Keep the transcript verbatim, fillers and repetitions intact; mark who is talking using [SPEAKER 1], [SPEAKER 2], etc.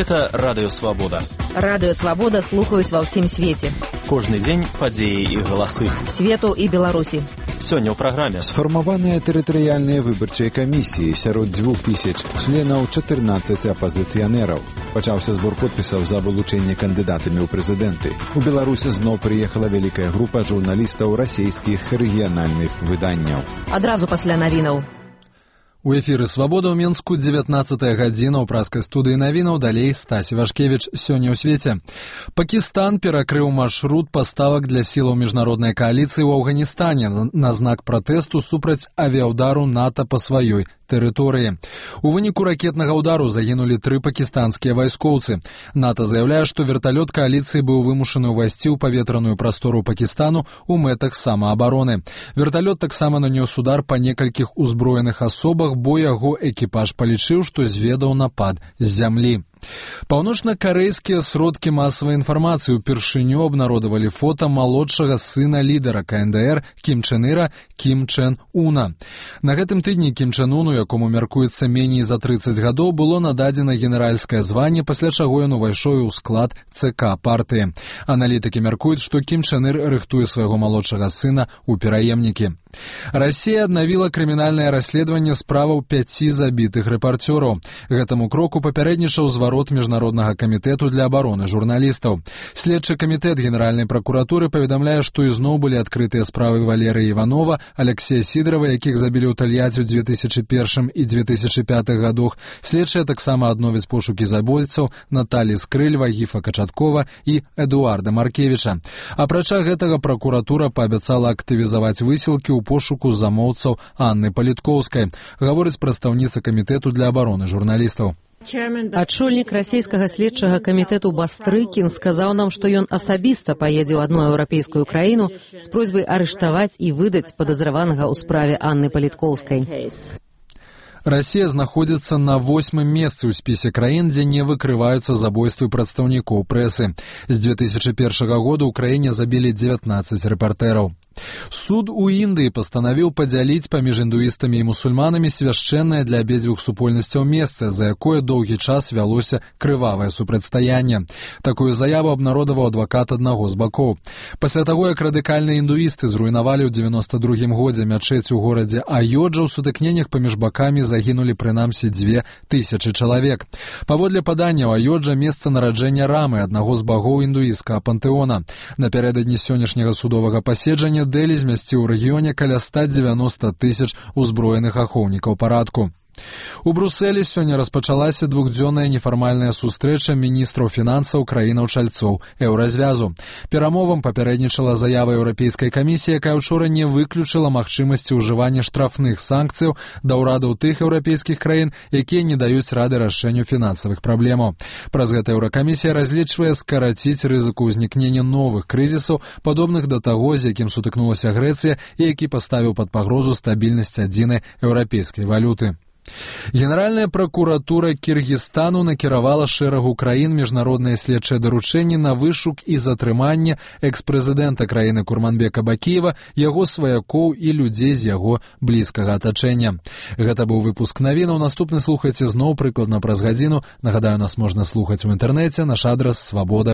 [SPEAKER 1] Гэта Радыё Свабода.
[SPEAKER 2] Радыё Свабода слухаюць ва ўсім свеце.
[SPEAKER 1] Кожны дзень падзеі і галасы.
[SPEAKER 2] Свету і Беларусі.
[SPEAKER 1] Сёння ў праграме.
[SPEAKER 3] Сфармаваныя тэрытарыяльныя выбарчыя камісіі сярод дзвюх тысяч членаў чатырнаццаць апазіцыянераў. Пачаўся збор подпісаў за вылучэнне кандыдатамі ў прэзідэнты. У Беларусі зноў прыехала вялікая група журналістаў расійскіх рэгіянальных выданняў.
[SPEAKER 2] Адразу пасля навінаў.
[SPEAKER 4] У эфіры «Свабода» ў Мінску, дзевятнаццатая гадзіна ў праскай студыі навінаў, далей Стась Івашкевіч. Сёння ў свеце. Пакістан перакрыў маршрут паставак для сілаў міжнароднай кааліцыі ў Афганістане на знак пратэсту супраць авіаўдару НАТО па сваёй тэрыторыі. У выніку ракетнага ўдару загінулі тры пакістанскія вайскоўцы. НАТО заяўляе, што верталёт кааліцыі быў вымушаны ўвайсці ў паветраную прастору Пакістану ў мэтах самаабароны. Верталёт таксама нанёс удар па некалькіх узброеных асобах, бо яго экіпаж палічыў, што зведаў напад з зямлі. Паўночна-карэйскія сродкі масавай інфармацыі ўпершыню абнародавалі фота малодшага сына лідара ка эн дэ эр Кім Чен Іра Кім Чен Уна. На гэтым тыдні Кім Чен Уну, якому мяркуецца меней за трыццаць гадоў, было нададзена генеральскае званне, пасля чаго ён увайшоў у склад цэ ка партыі. Аналітыкі мяркуюць, што Кім Чен Ір рыхтуе свайго малодшага сына ў пераемнікі. Расія аднавіла крымінальнае расследаванне справаў пяці забітых рэпарцёраў. Гэтаму кроку папярэднічаў зварот Міжнароднага камітэту для абароны журналістаў. Следчы камітэт Генеральнай пракуратуры паведамляе, што ізноў былі адкрытыя справы Валерыя Іванова, Алексея Сідорова, якіх забілі ў Тольятти ў дзве тысячы першым і дзве тысячы пятых гадах. Следчыя таксама адновяць пошукі забойцаў Наталі Скрыль, Вагіфа Качаткова і Эдуарда Маркевіча. Апрача гэтага пракуратура паабяцала актывізаваць высілкі ў пошуку замоўцаў Анны Паліткоўскай, гаворыць прадстаўніца камітэту для абароны журналістаў.
[SPEAKER 5] Ачольнік расійскага следчага камітэту Бастрыкін сказаў нам, што ён асабіста паедзе ў адну еўрапейскую краіну з просьбай арыштаваць і выдаць падазраванага ў справе Анны Паліткоўскай.
[SPEAKER 4] Расія знаходзіцца на восьмым месцы ў спісе краін, дзе не выкрываюцца забойствы прадстаўнікоў прэсы. З дзве тысячы першага года ў краіне забілі дзевятнаццаць рэпартэраў. Суд у Індыі пастанавіў падзяліць паміж індуістамі і мусульманамі свяшчэннае для абедзвюх супольнасцяў месца, за якое доўгі час вялося крывавае супрацьстаянне. Такую заяву абнародаваў адвакат аднаго з бакоў. Пасля таго, як радыкальныя індуісты зруйнавалі ў дзевяноста другім годзе мячэць у горадзе Айоджа, у сутыкненнях паміж бакамі загінулі прынамсі дзве тысячы чалавек. Паводле паданняў, Айоджа месца нараджэння Рамы, аднаго з багоў індуісцкага пантэона. Напярэдадні сённяшняга судовага паседжання Дэлі змясціў у рэгіёне каля ста дзевяноста тысяч узброеных ахоўнікаў парадку. У Брусэлі сёння распачалася двухдзённая нефармальная сустрэча міністраў фінансаў краінаў-чальцоў еўразвязу. Перамовам папярэднічала заява Еўрапейскай камісіі, якая ўчора не выключыла магчымасці ўжывання штрафных санкцыяў да ўрадаў тых еўрапейскіх краін, якія не даюць рады рашэнню фінансавых праблемаў. Праз гэта Еўракамісія разлічвае скараціць рызыку ўзнікнення новых крызісаў, падобных да таго, з якім сутыкнулася Грэцыя і які паставіў пад пагрозу стабільнасць адзінай еўрапейскай валюты. Генеральная пракуратура Кіргізстану накіравала шэрагу краін міжнародныя следчыя даручэнні на вышук і затрыманне экс-прэзідэнта краіны Курманбека Бакіева, яго сваякоў і людзей з яго блізкага атачэння. Гэта быў выпуск навінаў. Наступны слухайце зноў прыкладна праз гадзіну. Нагадаю, нас можна слухаць у інтэрнэце. Наш адрас свабода